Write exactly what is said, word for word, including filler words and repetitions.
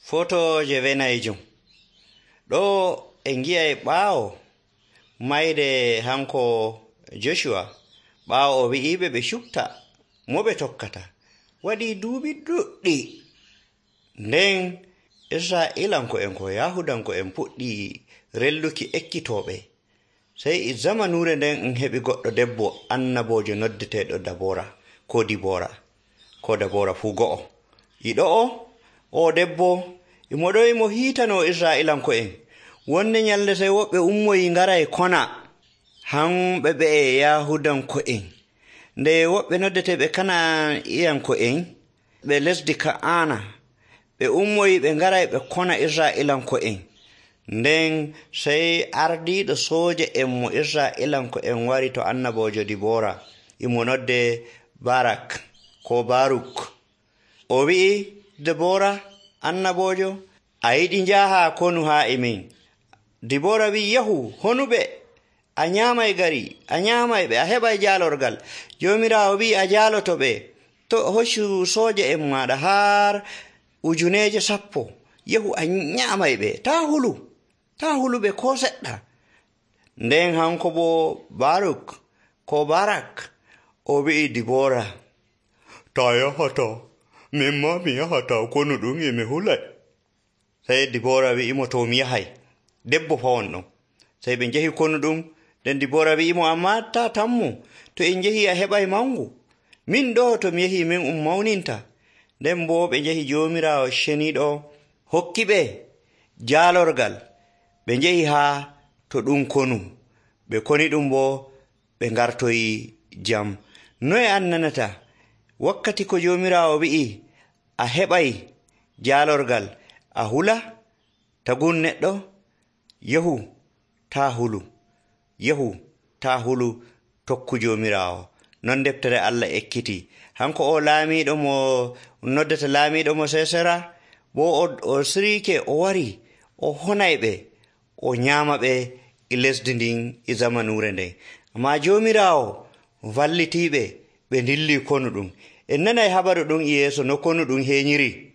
Foto je venayjum. Ɗo en gi'ay ɓaawo mayde hanko Joshua ɓaawo o wi'iɓe ɓe cukta mo ɓe tokkata. Waɗii duuɓi ɗuɗɗi. Nden Israa'iilanko'en ko Yahudanko'en puɗɗi relluki ekkitooɓe. Sey e zamanuure nden en heɓi goɗɗo debbo annaboojo noddeteeɗo Dabora ko Dibora ko Dabora fuu go'o. Yiɗo o o debbo imo ɗo imo hiitanoo Israa'iilanko'en. Wonde nyalde sey woɓɓe ummoyi ngaray kona hamɓe ɓe Yahudanko'en. Nde woɓɓe noddeteeɓe Kana'a'iyanko'en ɓe lesdi Ka'aana ɓe ummoyi ɓe ngaray ɓe kona Israa'iilanko'en. Nden sey ardiiɗo sooja en mo Israa'iilanko'en wari to annaboojo Dibora imo nodde Barak ko Baruk. O wi'i Debora annaboojo, a yiɗi njaha konu haa e min. Dibora wi'i, yahu honuɓe, a nyaamay gari, a nyaamay ɓe, a heɓay jaalorgal. Joomiraawo wi'i a jaaloto ɓe, to hoccu sooja en maaɗa har ujuneeje sappo, yahu a nyaamay ɓe, taa hulu, taa huluɓe koo seɗɗa. Nden hanko boo Baruk ko Barak o wi'i Dibora, taa yahata, min maa mi yahata konu ɗum e mi hulay. Sey Dibora wi'imo, to mi yahay, debbo fawon ɗon. Sey ɓe njehi konu ɗum. Nden Dibora wi'imo, amma taa tammu, to en njehi a heɓay mangu. Min ɗo to mi yehi min um mawninta. Nden boo ɓe njehi Joomiraawo ceniiɗo hokki ɓe jaalorgal. Ɓe njehi haa to ɗum konu. Ɓe koni ɗum boo ɓe ngartoyi jam. Noye an nanata wakkati ko Joomiraawo wi'i a heɓay jaalorgal a hula tagun neɗɗo? Yahu taa hulu, yahu taa hulu, tokku Joomiraawo. Non deftere Allah ekkiti. Hanko o laamiiɗo mo noddata laamiiɗo mo Sesera boo o siriike o wari o honay ɓe o nyaama ɓe e lesdi ndin e zamanuure nden. Ammaa Joomiraawo wallitiiɓe ɓe ndillii konu ɗum. En nanay habaru ɗum e yeeso no konu ɗum heeñiri.